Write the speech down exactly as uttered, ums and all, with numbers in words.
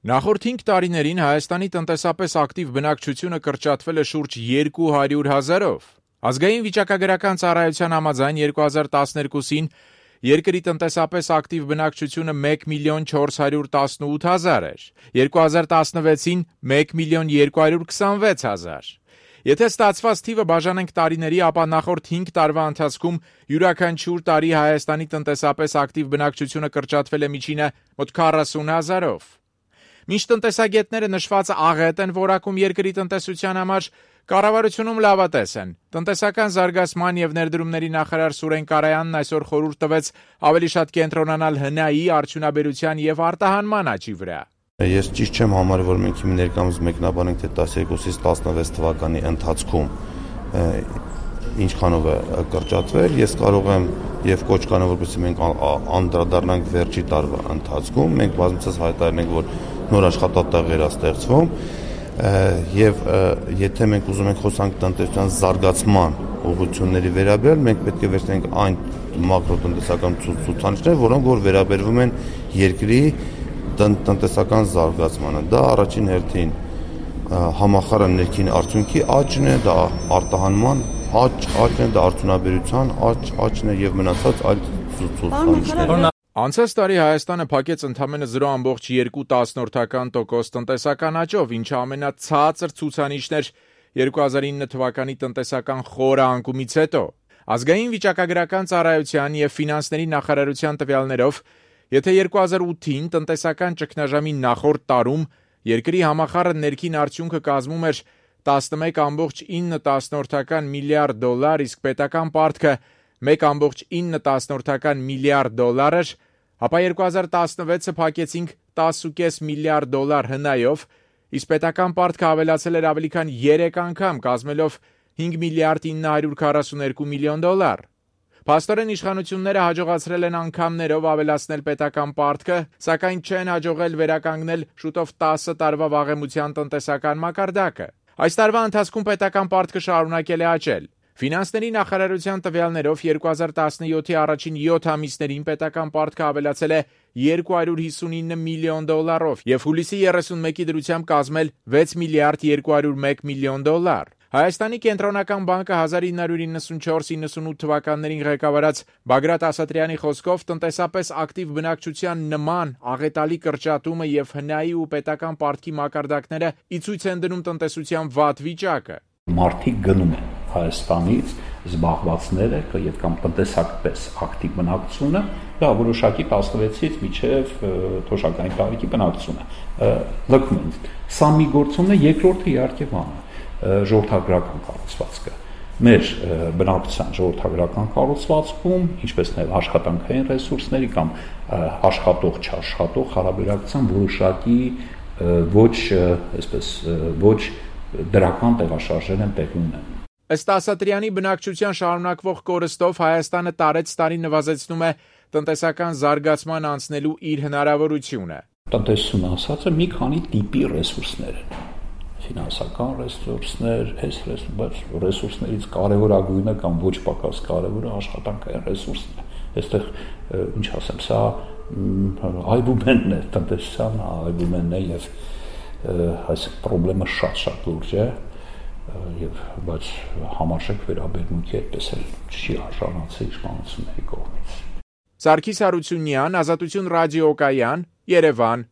Նախորդ հինգ տարիներին Հայաստանի տնտեսապես ակտիվ բնակչությունը կրճատվել է շուրջ երկու հարյուր հազարով։ Ազգային վիճակագրական ծառայության համաձայն երկու հազար տասներկուսին երկրի տնտեսապես ակտիվ բնակչությունը մեկ միլիոն չորս հարյուր տասնութ հազար էր, երկու հազար տասնվեցին մեկ միլիոն երկու հարյուր քսանվեց հազար։ Եթե ստացված թիվը բաժանենք տարիների, ապա նախորդ հինգ տարվա ընթացքում յուրաքանչյուր տարի Հայաստանի տնտեսապես ակտիվ բնակչությունը կրճատվել է միջինը մոտ քառասուն հազարով։ Մինչ տնտեսագետները նշվածը աղետ են որակում երկրի տնտեսության համար, կառավարությունում լավատես են։ Տնտեսական զարգացման եւ ներդրումների նախարար Սուրեն Կարայանն այսօր խորհուրդ տվեց ավելի շատ կենտրոնանալ հնայի, արդյունաբերության եւ արտահանման աճի վրա։ Ես ճիշտ չեմ համարում, որ մենք հիմա ներկայումս մեկնաբանենք, թե տասներկուսից տասնվեց թվականի ընթացքում ինչքանով է կրճատվել, ես կարող եմ եւ կոչ կանեմ, որպեսզի մենք անդրադառնանք վերջի տարվա ընթացքում, մենք բազմիցս հայտարարենք, որ նոր աշխատատեղեր է ստեղծվում եւ եթե մենք ուզում ենք խոսանք տնտեսության զարգացման ուղղությունների վերաբերյալ, մենք պետք է վերցնենք այն մակրոտնտեսական ցուցանիշները, որոնք որ վերաբերվում են երկրի տնտեսական զարգացմանը։ Դա առաջին հերթին համախառն ներքին արդյունքի աճն է, դա արտահանման աճ, աճն է, դա արդյունաբերության աճ, աճն է եւ մնացած այլ ցուցանիշներ։ Անցած տարի Հայաստանը փակեց ընդամենը զրո ամբողջ երկու տոկոս տնտեսական աճով, ինչը ամենացածր ցուցանիշն էր երկու հազար ինը թվականի տնտեսական խորը անկումից հետո։ Ազգային վիճակագրական ծառայության եւ ֆինանսների նախարարության տվյալներով, եթե երկու հազար ութին տնտեսական ճգնաժամի նախորդ տարում երկրի համախառն ներքին արդյունքը կազմում էր տասնմեկ կoma ինը միլիարդ դոլար, իսկ պետական պարտքը մեկ կoma ինը միլիարդ դոլար էր, ապա երկու հազար տասնվեցը փակեցինք տասը կoma պենս միլիարդ դոլար հնայով, իսկ պետական պարտքը ավելացել էր ավելի քան երեք անգամ, կազմելով հինգ միլիարդ ինը հարյուր քառասուներկու միլիոն դոլար։ Փաստորեն իշխանությունները հաջողացրել են անգամներով ավելացնել պետական պարտքը, սակայն չեն հաջողել վերականգնել շուտով տասը տարվա վաղեմության տնտեսական մակարդակը։ Այս տարվա ընթացքում պետական պարտքը շարունակել է աճել։ Ֆինանսների նախարարության տվյալներով երկու հազար տասնյոթի առաջին յոթ ամիսներին պետական պարտքը ավելացել է երկու հարյուր հիսունինը միլիոն դոլարով եւ հուլիսի երեսունմեկի դրությամբ կազմել վեց միլիարդ երկու հարյուր մեկ միլիոն դոլար։ Հայաստանի կենտրոնական բանկը հազար ինը հարյուր իննսունչորս իննսունութ թվականներին ղեկավարած Բագրատ Ասատրյանի խոսքով տնտեսապես ակտիվ բնակչության նման աղետալի կրճատումը եւ հնայի ու պետական պարտքի մակարդակները ի ցույց են դնում տնտեսության վատ վիճակը։ Մարդիկ գնում են Հայաստանից զբաղվածները եւ կամ տնտեսապես ակտիվ բնակչությունը, դա որոշակի տասնվեցից մինչեւ թոշակային տարիքի բնակչությունը լքում են։ Սա մի գործում է, երկրորդը իհարկե բանը ժողովրդագրական կառուցվածքը։ Մեր բնակչության ժողովրդագրական կառուցվածքում, ինչպես նաև աշխատանքային ռեսուրսների կամ աշխատող չաշխատող հարաբերակցության որոշակի ոչ, այսպես ոչ դրական տեղաշարժեր են տեղի ունենում։ Ըստ Ասատրյանի, բնակչության շարունակվող կորստով Հայաստանը տարեց տարի նվազեցնում է տնտեսական զարգացման անցնելու իր հնարավորությունը։ Տնտեսությունը ասածը մի քանի տիպի ռեսուրսներ են։ Ֆինանսական ռեսուրսներ, այս ռեսուրսներից կարևորագույնը կամ ոչ պակաս կարևորը աշխատանքային ռեսուրսն է։ Այստեղ ինչ ասեմ, սա այբուբենն է տնտեսության, այբուբենն է եւ այս խնդրումը շատ-շատ լուրջ է եւ բայց համարժեք վերաբերմունքի այդպես էլ չի արժանացել իշխանությունների կողմից։ Սարգիս Հարությունյան, Ազատություն ռադիոկայան, Երևան։